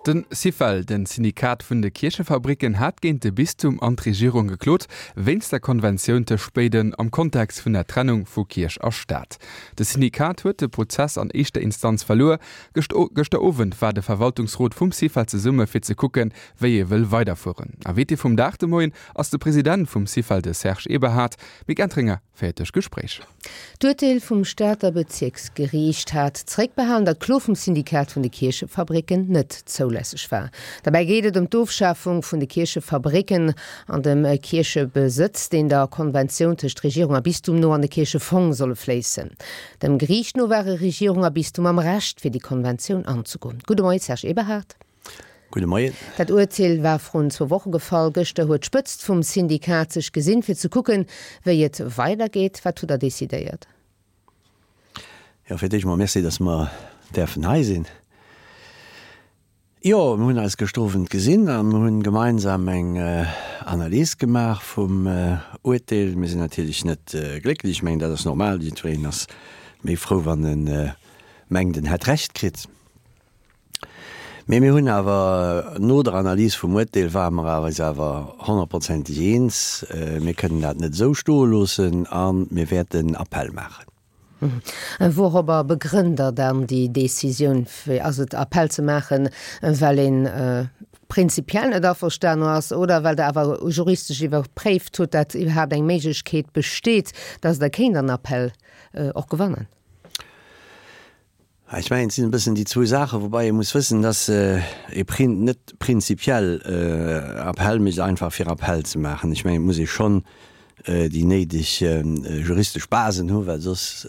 De Syfel, de Syndikat vun de Kierchefabricken, hat géint de Bistum an d'Regierung geklot, wéinst der Konventioun tëscht béiden am Kontext vun der Trennung vu Kierch a Staat. De Syndikat huet de Prozess an éischter Instanz verluer. Gëschter Owend war de Verwaltungsrot vum Syfel zesumme fir ze kucken, wéi ee wëll weiderfueren. Invité vum Dag de Moien ass de President vum Syfel, de Serge Eberhard. Mick Entringer féiert duerch d'Gespréich. D'Urteel vum Stater Bezierksgeriicht hat zeréckbehalen, datt d'Klo vum Syndikat vun de Kierchefabricken net zoulässeg war. Derbäi geet et ëm d'Ofschafung vun de Kierchefabricken an dem Kierchebesëtz, deen der Konventioun tëscht Regierung a Bistum no an de Kierchefong solle fléissen. Dem Geriicht no ware Regierung a Bistum am Recht, fir déi Konventioun anzegoen. Gudde Moie Serge Eberhard. Gudde Moien. Dat Urteel war vrun zwou Woche gefall. Gëschter huet d'Spëtzt vum Syndikat sech gesinn, fir ze kucken, wéi et weidergeet. Wat hutt Der decidéiert? Jo, fir d'éischt mol Merci, dass mer däerfen hei sinn. Jo, mir hunn eis gëschter Owend gesinn a mir hunn gemeinsam eng Analys gemaach vum Urteel. Mir sinn natierlech net glécklech. Ech mengen, dat ass normal. Jiddwereen ass méi frou, wann e mengt, en hätt Recht kritt. Mee mir hunn awer, no der Analys vum Uerteel ware mer awer eis awer honnertprozenteg eens, mir kënnen dat net esou stoe loossen a mir wäerten Appell maachen. Wourobber begrënnt Der dann déi Décisioun? Ass et Appell ze maachen, well ee prinzipiell net averstane ass oder well Der awer juristesch iwwerpréift hutt, dat iwwerhaapt eng Méiglechkeet besteet, datt Der kéint an Appell och gewannen? Ech mengen, et sinn e bëssen déi zwou Saachen, woubai ee muss wëssen, dass ee net prinzipiell Appell mécht, einfach fir Appell ze maachen. Ech mengen, et muss ee schonn déi néideg juristesch Basen hunn, well soss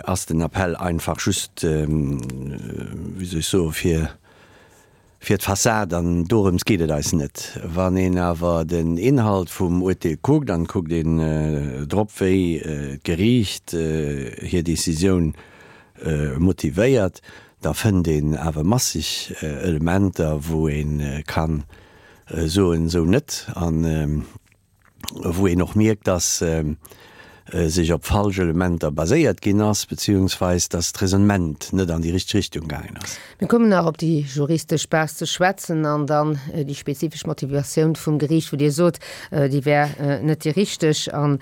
ass den Appell einfach just, wéi soll ech soen, fir, Fir d'Fassad, an dorëms geet et eis net. Wann een awer den Inhalt vum Urteel kuckt, an et kuckt een drop, wéi d'Geriicht hir Decisioun motivéiert, da fënnt een awer masseg Elementer, wou ee ka soen, esou net. An wou een och mierkt, dass sech op falsch Elementer baséiert ginn ass, beziehungsweis dass d'Raisonnement net an déi richteg Richtung gaangen ass. Mir kommen nach op déi juristesch Base ze schwätzen an dann déi spezifesch Motivatioun vum Geriicht, wou Dir sot, déi wär net déi richteg, a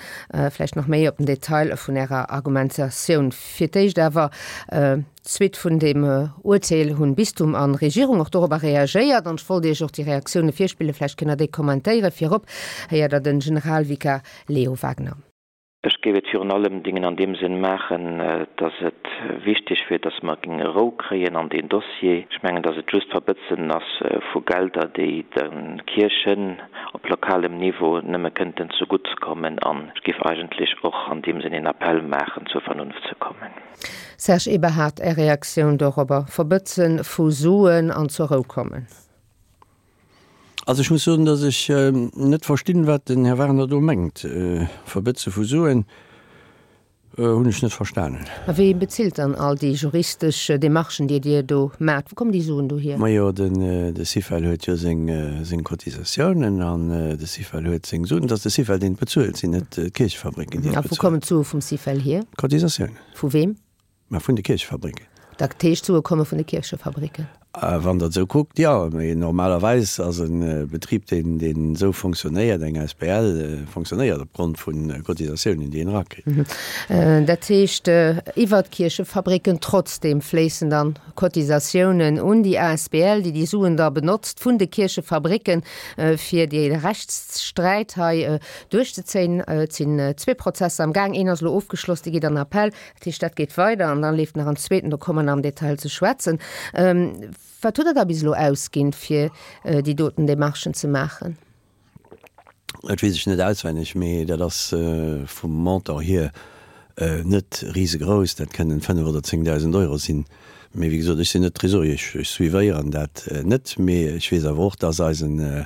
vläicht nach méi op den Detail vun Ärer Argumentatioun. Fir d'éischt awer, D'Suite vun deem Urteel hunn Bistum an Regierung och dorobber reagéiert an ech wollt Iech och déi Reaktioune virspillen, vläicht kënnt der déi kommentéieren. Virop héiert der den Generalvikar Leo Wagner. Ech géif et virun allem Dingen an deem Sënn maachen, dass et wichteg wier, dass mer géinge Rou kréien an deen Dossier. Ech mengen, dass et just Verbëtzen ass vu Gelder, déi de Kierchen op lokalem Niveau nëmme kënnten zegutt kommen. An ech géif eigentlech och an deem Sënn een Appell maachen, zur Vernunft ze kommen. Serge Eberhard, Är Reaktioun dorobber? Verbëtzen vu Suen an zur Rou kommen? Also ech muss soen, datt ech net verstinn, wat den Här Wagner do mengt. Verbëtze vu Suen hunn ech net verstanen. A wee bezilt dann all déi juristesch Demarchen, déi Dir do maacht? Wou kommen déi Suen do hier? Majo, de Syfel huet jo seng Cotisatiounen an de Syfel huet seng Suen. Et ass de Syfel, deen et bezuelt, et sinn net d'Kierchefabricken, déi et A wou bezuelen. kommen d'Sue vum Syfel hier? Cotisatiounen. Vu weem? Mä vun de Kierchefabricken. Dat heescht, d'Sue komme vun de Kierchefabricken? Wann Der et esou kuckt, jo. Mee normalerweis ass e Betrib, deen, deen esou fonctionnéiert, eng asbl, fonctionnéiert opgrond vu Cotisatiounen, déi een erakritt. Dat heescht, iwwert d'Kierchefabricken trotzdeem fléissen dann Cotisatiounen un déi asbl, déi déi Suen da benotzt vun de Kierchefabricken, fir dee Rechtssträit hei duerchzezéien. Et sinn zwee Prozesser am Gaang. Een ass elo ofgeschloss, dee geet an Appell. Dat heescht, dat geet weider an dann leeft nach en zweeten, do komme mer nach am Detail ze schwätzen. Wat hutt Der da bis elo ausginn, fir déi doten Demarchen ze maachen? Dat weess ech net auswenneg, mee dat ass vum Montant hier net risegrouss. Dat kënnen 5 oder 10.000 Euro sinn. Mee wéi gesot, ech sinn net Tresorier, ech suivéieren dat net. Mee ech weess awer och, dass eisen,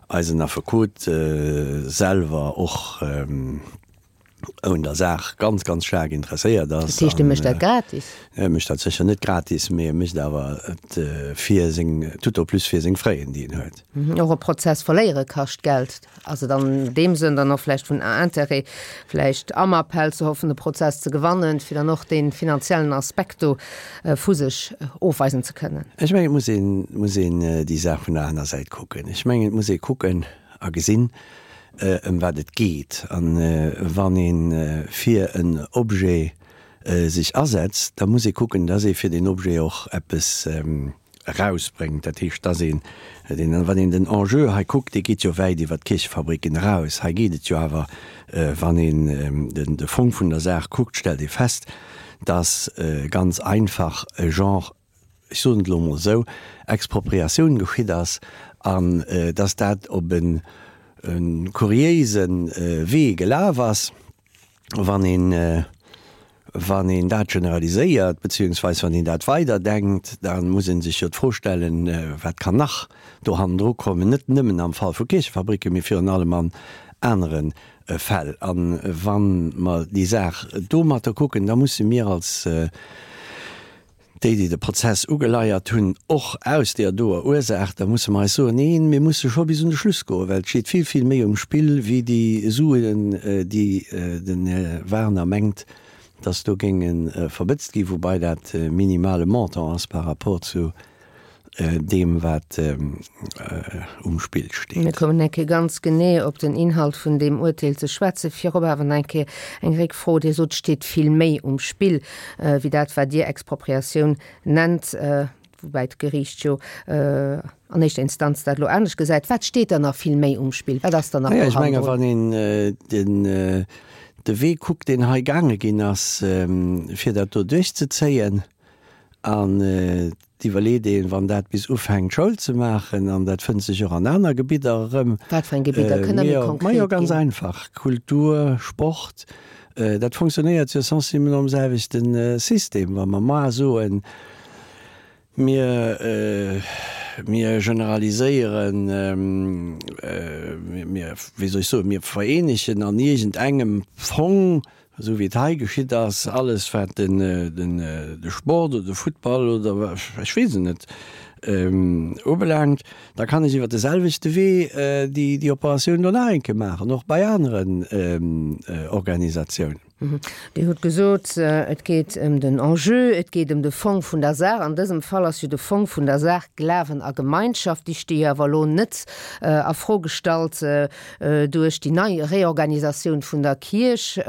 eisen Affekot selwer och. Un der Saach ganz, ganz staark interesséiert ass. Dat heescht, e mécht dat gratis? E mécht dat sécher net gratis, mee e mécht awer et fir seng, tout au plus fir seng Frais, déi en huet. Och e Prozess verléiere kascht Geld. Ass et an deem Sënn dann och vläicht vun Intérêt, vläicht am Appell ze hoffen, de Prozess ze gewannen, fir dann och dee finanziellen Aspekt do vu sech ofweisen ze kënnen? Ech mengen, et muss een, muss een déi Saach vun der aner Säit kucken. Ech mengen, et muss ee kucken a gesinn, ëm wat et geet. A wann ee fir en Objet sech asetzt, da muss ee kucken, dass ee fir deen Objet och eppes erausbréngt. Dat heescht, dass een, wann een den Enjeu hei kuckt, dee geet jo wäit iwwert d'Kierchefabricken eraus. Hei geet et jo awer, wann een de Fong vun der Saach kuckt, stellt ee fest, dass ganz einfach e Genre, ech soen et elo emol esou, Expropriatioun geschitt ass an dass dat op e kuriéise Wee gelaf ass, wann een, wann een dat generaliséiert, beziehungsweis wann een dat weiderdenkt, da muss ee sech jo d'Fro stellen, wat kann nach do hannendru kommen, net nëmmen am Fall vu Kierchefabricken, mee virun allem an anere Fäll. A wa mer déi Saach domatter kucken, da musse mir als déi, déi de Prozess ugeleiert hunn, och aus deer doer Ursaach, da musse mer eis soen, Neen, mir musse scho bis un de Schluss goen, well et steet vill, vill méi um Spill wéi déi Suen, déi den Här Werner mengt, dass do géinge verbëtzt ginn, woubai dat e minimale Montant ass par rapport zu deem, wat um Spill steet. Mir kommen eng Kéier ganz genee op den Inhalt vun deem Urteel ze schwätzen. Virop awer nach eng Kéier eng Réckfro. Dir sot, et steet vill méi um Spill wéi dat, wat Dir Expropriatioun nennt, woubäi d'Geriicht jo an éischter Instanz dat elo anescht gesäit. Wat steet dann nach vill méi um Spill? Wat ass dann nach do hannendrun? Ech mengen, wann een de Wee kuckt, deen hei gaange ginn ass, fir dat do duerchzezéien, an Et iwwerleet een, wann dat bis ufänkt Schoul ze maachen, an dat fënnt sech och an aner Gebidder erëm. Wat fir eng Gebidder? Kënnt Der méi konkret ginn? Majo, ganz einfach, Kultur, Sport, dat fonctionnéiert jo sensiblement nom selwechte System. Wa mer mar soen, mir, mir generaliséieren, mir, wéi soll ech soen, mir vereenegen an iergendengem Fong Esou wéi et hei geschitt ass, alles wat de Sport oder de Futtball oder ech weess et net ubelaangt, da kann ech iwwer de selwechte Wee déi Operatioun do nach eng Kéier maachen, och bei aneren Organisatiounen. Dir hutt gesot, et geet ëm den Enjeu, et geet ëm de Fong vun der Saach. An dësem Fall ass jo de Fong vun der Saach Glawen a Gemeinschaft. Déi sti jo awer elo net a Fro gestallt Duerch déi nei Reorganisatioun vun der Kierch.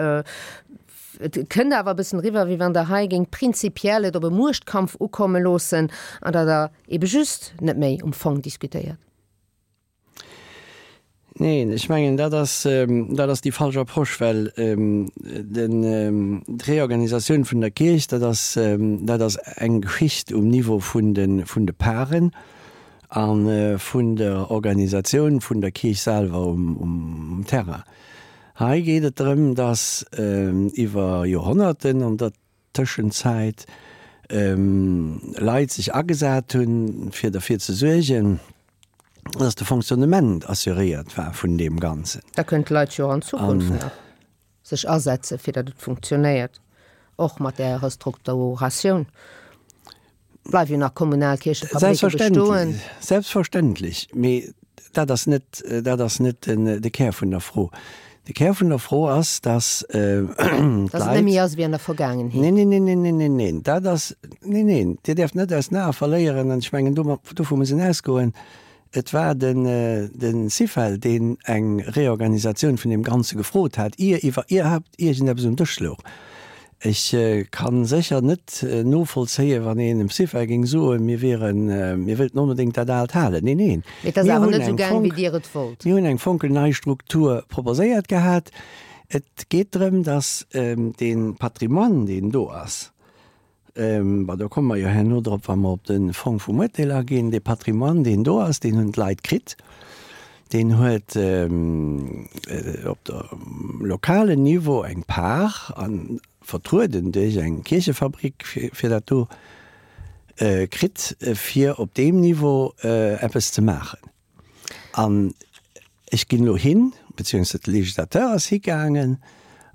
Et kënnt awer e bëssen eriwwer, wéi wann Der hei géingt prinzipiell et op e Muechtkampf ukomme loossen an datt Der ebe just net méi um Fong diskutéiert. Neen, ech mengen, dat ass, dat ass déi falsch Approche, well den, d'Reorganisatioun vun der Kierch, dat ass, dat ass eng Geschicht um Niveau vun de, vun de Paren. A vun der Organisatioun vun der Kierch selwer um Terrain. Hei geet et drëm, datt iwwer Joerhonnerten an der Tëschenzäit Leit sech agesat hunn, fir derfir ze suergen, datt de Fonctionnement assuréiert war vun deem Ganzen. Da kënnen d'Leit jo och an Zukunft nach sech asetzen, fir datt et funktionéiert, och mat där Restrukturatioun. Bleiwen jo nach kommunal Kierchefabricken bestoen. Selbstverständlech, mee dat ass net, dat ass net de Kär vun der Fro. De Kär vun der Fro ass, dass d'Leit. Dass et net méi ass wéi an der Vergaangenheet. Neen, neen, neen, neen, neen, neen, dat ass, neen, neen, Dir däerft net aus den Ae verléieren, an ech mengen, dovu muss een ausgoen, Et war den Syfel, deen eng Reorganisatioun vun deem Ganze gefrot hat, ier iwwerhaapt iergendeppes um Dësch louch. Ech ka sécher net novollzéien, wann een dem Syfel géing soen, mir wieren, mir wëllten onbedéngt dat Aalt halen. Neen, neen. Mee et ass awer net esou gaang, wéi Dir et wollt. Mir hunn eng fonkelnei Struktur proposéiert gehat. Et geet drëm, datt dee Patrimoine, deen do ass, Bon, do komme mer jo herno drop, wa mer op de Fong vum Uerteel aginn. Dee Patrimoine, deen do ass, deen hunn d'Leit kritt. Deen huet op dem lokalen Niveau eng Par, a vertrueden duerch eng Kierchefabrik, fir dat do kritt, fir op deem Niveau eppes ze maachen. An ech ginn elo hin, beziehungsweise de Législateur ass higaangen.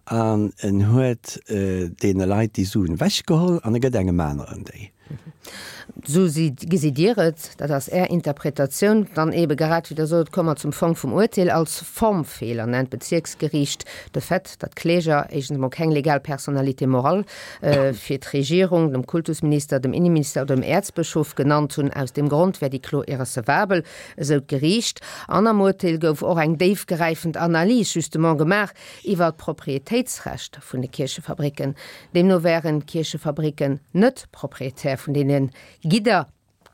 An en huet deene Leit déi Suen ewechgeholl an e gëtt engem aneren déi. Esou gesitt Dir et, dat ass Är Interpretatioun. Dann eebe grad wéi Der sot, komme mer zum Fong vum Urteel. Als Formfeeler nennt d'Bezierksgeriicht de Fait, datt d'Kläger éischtens emol keng legal Personnalité morale fir d'Regierung, dem Kultusminister, dem Inneminister oder dem Äerzbëschof genannt hunn. Aus deem Grond wär déi Klo irrecevabel, esou d'Geriicht. An am Urteel gouf och eng déifgräifend Analys justement gemaach, Iwwer d'Proprietéitsrecht vun de Kierchefabricken. Deemno wären d'Kierchefabricken net Proprietär vun deene Gidder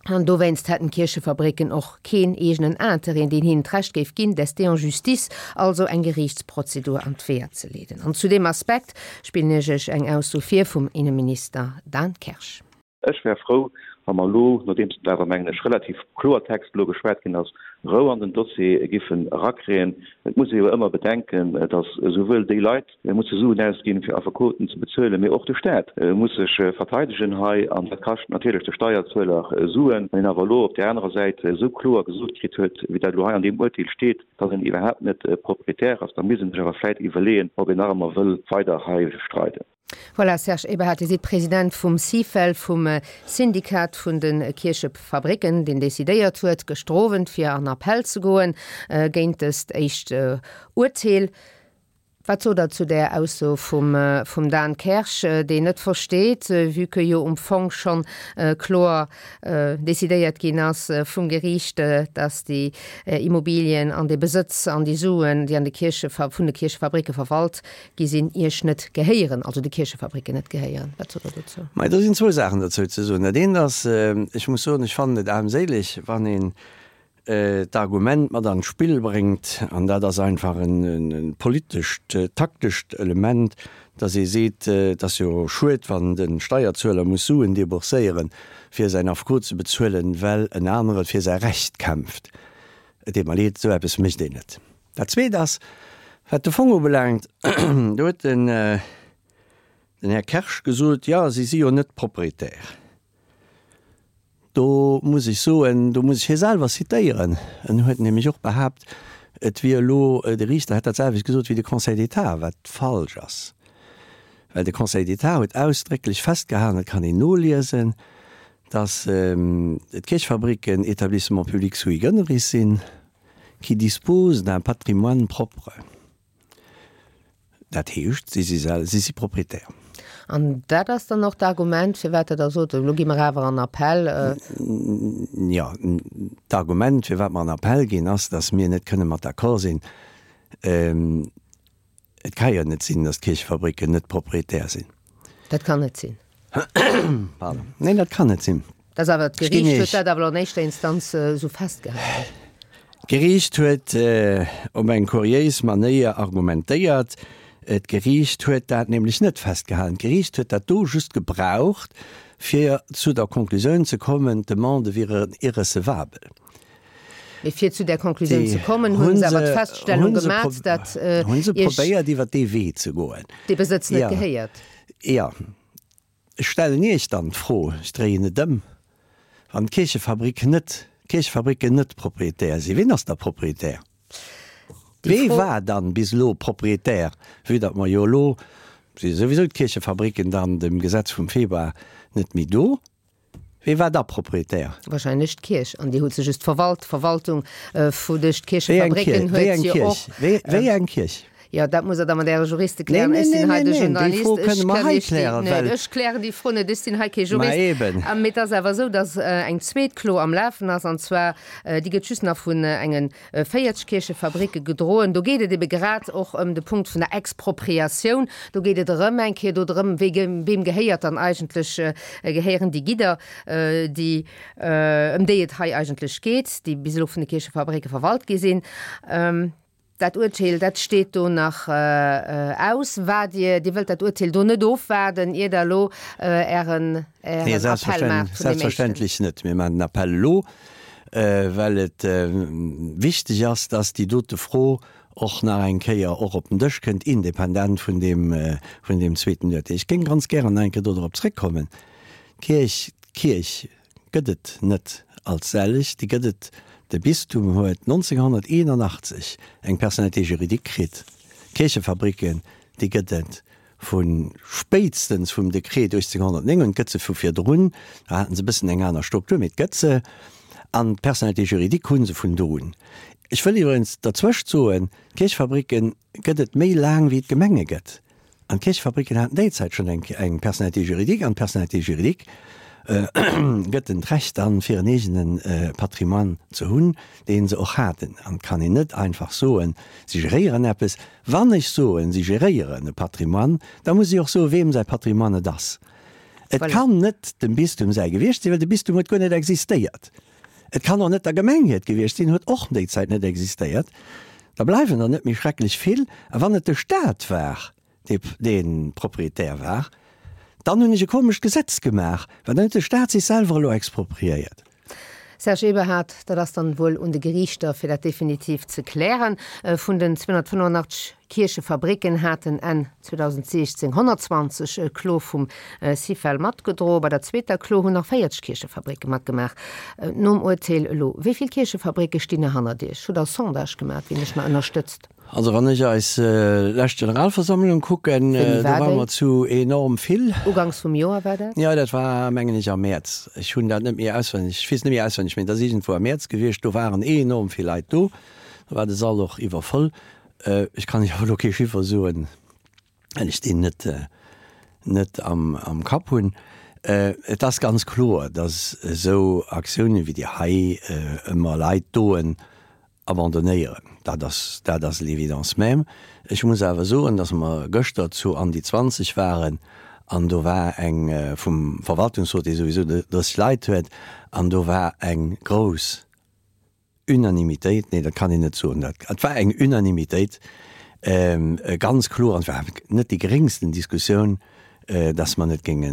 an dowéinst hätten d'Kierchefabricken och keen eegenen Interêt, deen hinnen d'Recht géif ginn, d'ester en justice, also eng Geriichtsprozedur an d'Weeër ze leeden. An zu deem Aspekt spillen ech Iech eng Ausso vir vum Inneminister Dan Kersch. Ech wär frou, wa mer elo, nodeems et awer, mengen ech, relativ Kloertext elo geschwat ginn ass, Rou an den Dossier giffen erakréien. Et muss ee jo ëmmer bedenken, datt esouwuel déi Leit musse Suen ausginn, fir Affekoten ze bezuelen, mee och de Staat muss sech verteidegen hei, an dat kascht natierlech de Steierzueler Suen. Wann een awer elo op där anerer Säit esou kloer gesot kritt huet, wéi dat elo hei an deem Uerteel steet, datt een iwwerhaapt net Proprietär ass, da misst ee sech awer vläicht iwwerleeën, ob een nach ëmmer wëll weider hei streiden. Voilà, Serge Eberhard, Dir sidd President vum Syfel, vum Syndikat vun de Kierchefabricken, deen decidéiert huet, gëschter Owend fir an Appell ze goen géint dëst éischt Urteel. Wat sot Der zu där Ausso vum Dan Kersch, deen net versteet, vue que jo um Fong schonn kloer decidéiert ginn ass vum Geriicht, datt déi Immobilien an dee Besëtz an déi Suen, déi an de Kierche vun de Kierchefabricke verwalt gi sinn, Iech net gehéieren, also de Kierchefabricken net gehéieren. Wat sot Der dozou? Mei, do sinn zwou Saachen dozou ze soen. Dat eent ass, ech muss soen, ech fannen et aarmséileg, wann een d'Argument mat an d'Spill bréngt, an dat ass einfach e politescht, taktescht Element, datt ee seet, et ass jo schued, wann de Steierzueler muss Suen debourséieren, fir säin Affekot ze bezuelen, well en anere fir säi Recht kämpft. Et deet mer leed, esou eppes mécht een net. Dat Zweet ass, wat de Fong ubelaangt, do huet den Här Kersch gesot, jo, si si jo net Proprietär. Do muss ech soen, do muss ech hie selwer zitéieren, en huet nämlech och behaapt, et wier elo, de Riichter hätt dat selwecht gesot wéi de Conseil d'État, wat falsch ass, well de Conseil d'État huet ausdrécklech festgehalen, dat kann een noliesen, datt d'Kierchfabriken Établissements publics sui generis sinn. qui dispose d'un patrimoine propre. Dat heescht, si si sel, si si Proprietär. An dat ass dann och d'Argument, firwat Der da sot, elo gi mer awer an Appell? Jo, d'Argument, firwat mer an Appell ginn, ass, datt mir net kënne mat d'accord sinn. Et ka jo net sinn, datt d'Kierchefabricken net Proprietär sinn. Dat kann net sinn. Pardon. Neen, dat kann net sinn. Dat ass awer, d'Geriicht huet dat awer an éischter Instanz esou festgehalen. D'Geriicht huet op eng kuriéis Manéier argumentéiert. D'Geriicht huet dat nämlech net festgehalen. D'Geriicht huet dat do just gebraucht, fir zu der Konklusioun ze kommen, d'Demande wier irrecevabel. Mee fir zu där Konklusioun ze kommen, hu se awer d'Feststellung gemat, datt Hu se probéiert, iwwer dee Wee ze goen. Dee Besëtz net gehéiert. Jo. Ech stellen Iech dann d'Fro, ech dréien et ëm, Wann d'Kierchefabrik net, d'Kierchefabricken net Proprietär sinn, wien ass da Proprietär? Wee war dann bis elo Proprietär, vue datt mer jo elo, si souwisou d'Kierchefabricken dann dem Gesetz vum Februar net méi do, Wee war da Proprietär? Wahrscheinlech d'Kierch, an déi huet se just verwalt. D'Verwaltung vu duerch d'Kierchefabricken huet jo och. Wéi eng Kierch? Jo, dat musst Der da mat Äre Juriste klären. Ech sinn hei de Journalist. Ech kënn Iech déi net, ech klären déi Fro net, ech sinn hei kee Jurist. Mee et ass awer esou, datt eng zweet Klo am Lafen ass, an zwar, déi gëtt just nach vun engen 40 Kierchefabricke gedroen. Do geet et ebe grad och ëm de Punkt vun der Expropriatioun. Do geet et erëm eng Kéier do drëm, wee weem gehéiert dann eigentlech, gehéieren déi Gidder, déi, ëm déi et hei eigentlech geet, déi bis elo vun de Kierchefabricke verwalt gi sinn. Dat Urteel, dat steet do nach aus. Waart Dir, Dir wëllt dat Urteel do net ofwaarden, ier Der elo Ären, Ären Appell maacht vun deem éischten? Selbstverständlech net. Mir maachen den Appell elo. Well et wichteg ass, dass déi dote Fro och nach eng Kéier och op den Dësch kënnt, independent vun deem, vun deem zweeten Urteel. Ech géing ganz gären nach eng Kéier do drop zréckkommen. D'Kierch, d'Kierch gëtt et net als sellech, déi gëtt et, de Bistum huet 1981 eng Personnalité juridique kritt. D'Kierchefabricken. Déi gëtt et vu spéitstens vum Dekret 1809 un, et gëtt se vu virdrun, da haten se e bëssen eng aner Struktur, mee et gëtt se. An d'Personnalité juridique hu se vun do un. Ech wëll iwwregens derzwëscht soen, d'Kierchefabricken gëtt et méi laang wéi et Gemenge gëtt. An d'Kierchefabricken haten déi Zäit schonn eng eng Personnalité juridique an d'Personnalité juridique gëtt en d'Recht dann, fir en eegene Patrimoine ze hunn, dee se och haten. An et kann een net einfach soen, si geréieren eppes. Wann ech soen, si geréieren e Patrimoine, da muss ech och soen, weem säi Patrimoine et ass. Et kann net dem Bistum säi gewiescht sinn, well de Bistum huet guer net existéiert. Et kann och net der Gemeng hiert gewiescht sinn, huet och déi Zäit net existéiert. Da bleiwen der net méi schrecklech vill. A wann et de Staat war, dee dee Proprietär war, dann hunn ech e komescht Gesetz gemaach, well dann huet de Staat sech selwer elo expropriéiert. Serge Eberhard, Dat ass dann wuel un de Geriichter, fir dat definitiv ze klären. Vun den 285 Kierchefabricken haten Enn 2016 120 d'Klo vum Syfel matgedroen. Bei der zweeter Klo hunn nach 40 Kierchefabricke matgemaach. Nom Urteel elo, wéi vill Kierchefabricke stinn nach hannert Iech? Hutt Der e Sondage gemaach, wien Iech nach ënnerstëtzt? Also wann ech eis lescht Generalversammlung kucken, do ware mer zu enorm vill. Uganks vum Joer war dat? Jo, dat war mengen ech am Mäerz. Ech hunn dat net méi auswenneg, ech weess net méi auswenneg, mee et ass iergendwou am Mäerz gewiescht. Do waren enorm vill Leit do. Do war de Sall och iwwervoll. Ech kann Iech awer elo kee Chiffer soen, well ech deen net net am Kapp hunn. Et ass ganz kloer, datt esou Aktiounen wéi déi hei ëmmer Leit doen Abandonéieren, dat ass, dat ass l'évidence même. Ech muss awer soen, dass mer gëschter zu an déi 20 waren an do war eng, vum Verwaltungsrot, dee souwisou 30 Leit huet, an do war eng grouss Unanimitéit, nee, dat kann een net soen, dat, et war eng Unanimitéit, ganz kloer, an et war net déi geréngsten Diskussioun, dass mer net géinge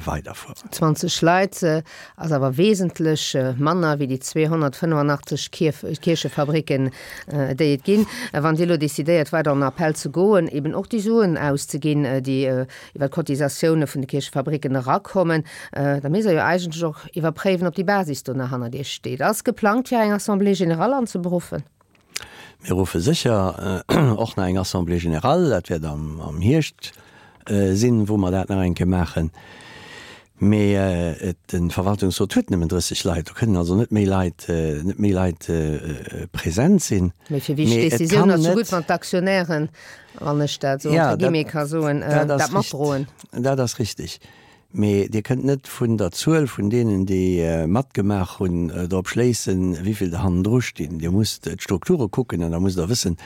weiderfueren. 20 Leit ass awer wesentlech manner wéi déi 285 Kierchefabricken, déi et ginn. Wann Dir elo decidéiert, weider an Appell ze goen, eben och déi Suen auszeginn, déi iwwer d'Cotisatioune vun de Kierchefabricken erakommen, da misst Der jo eigentlech och iwwerpréiwen, ob déi Basis do nach hannert Iech steet. Ass geplangt, fir eng Assemblée générale anzeberuffen? Mir ruffe sécher och nach eng Assemblée générale, dat wäert am Hierscht sinn, wou mer dat nach eng Kéier maachen. Mee de Verwaltungsrot huet nëmmen 30 Leit, do kënnen also net méi Leit, net méi Leit present sinn. Mee fir wichteg Décisioun ass jo gutt, wann d'Aktionären, wann ech dat esou entre guillemets ka soen, dat matdroen. Dat ass richtig. Mee Dir kënnt net vun der Zuel vun deenen, déi matgemaach hunn, drop schléissen, wéi vill der hannendru stinn. Dir musst d'Strukture kucken an da musst Der wëssen,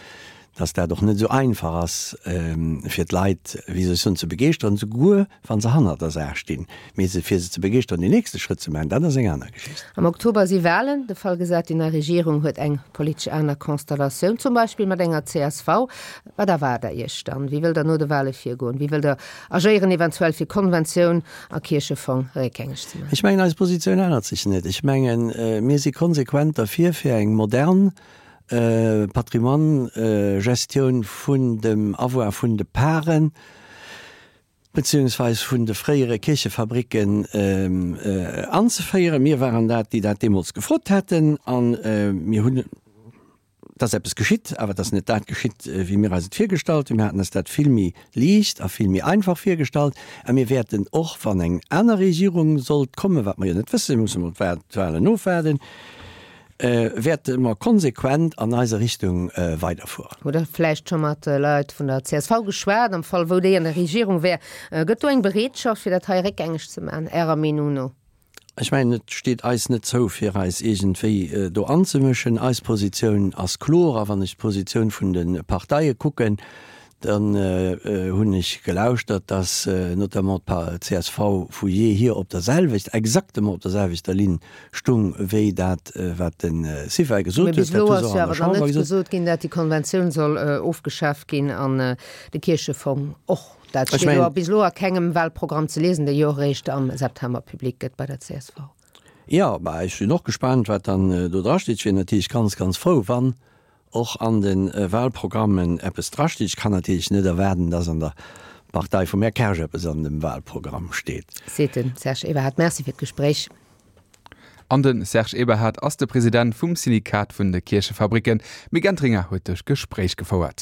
dass dat och net esou einfach ass, fir d'Leit, wéi soll ech soen, ze begeeschteren, souguer wa se hannert der Saach stinn. Mee se, fir se ze begeeschteren, deen nächste Schrëtt ze maachen, dat ass eng aner Geschicht. Am Oktober si Walen. De Fall gesat, déi nei Regierung huet eng politesch aner Konstellatioun, zum Beispill mat enger csv. Wat erwaart Der Iech dann? Wéi wëllt Der no de Wale virgoen? Wéi wëllt Der Agéieren eventuell fir Konventioun a Kierchefong réckgängeg ze maachen. Ech mengen, eis Positioun ännert sech net. Ech mengen, mir si konsequent derfir, fir eng modern Patrimoine-Gestioun vun dem Avoir vun de Paren, beziehungsweis vun de fréiere Kierchefabricken anzeféieren. Mir waren dat, déi dat deemools gefrot haten, a mir hunn. Et ass eppes geschitt, awer et ass net dat geschitt, wéi mir eis et virgestallt hunn. Mir haten eis dat vill méi liicht a vill méi einfach virgestallt. A mir wäerten och, wann eng aner Regierung sollt kommen, wat mer jo net wëssen, mir musse mol d'Wahlen ofwaarden, wäerte mer konsequent an eiser Richtung weiderfueren. Hutt Der vläicht scho mat Leit vun der csv geschwat, am Fall wou déi an der Regierung wär? Gëtt do eng Bereetschaft, fir dat hei réckgängeg ze maachen, Ärer Meenung no? Ech mengen, et steet eis net zou, fir eis iergendwéi do anzemëschen. Eis Positioun ass kloer. A wann ech d'Positioun vun de Parteie kucken, dann hunn ech gelauschtert, dass notamment d'CSV vu jeehier op der selwecht, exactement op der selwechter Linn stung wéi dat, wat de Syfel gesot huet. Mee bis elo ass jo awer nach net gesot ginn, dat déi Konventioun soll ofgeschaaft ginn an de Kierchefong och. Dat steet jo bis elo a kengem Wahlprogramm ze liesen, dee jo och eréischt am September public gëtt bei der csv. Jo, bah, ech sinn och gespaant, wat dann do drasteet. Ech wier natierlech ganz, ganz frou, wann och an de Wahlprogrammen eppes drasteet. Ech kann natierlech net erwaarden, dass an der Partei vum Här Kersch eppes an dem Wahlprogramm steet. Seet de Serge Eberhard. Merci fir d'Gespréich. An de Serge Eberhard ass de President vum Syndikat vun de Kierchefabricken. D'Mick Entringer huet de Gespréich gefouert.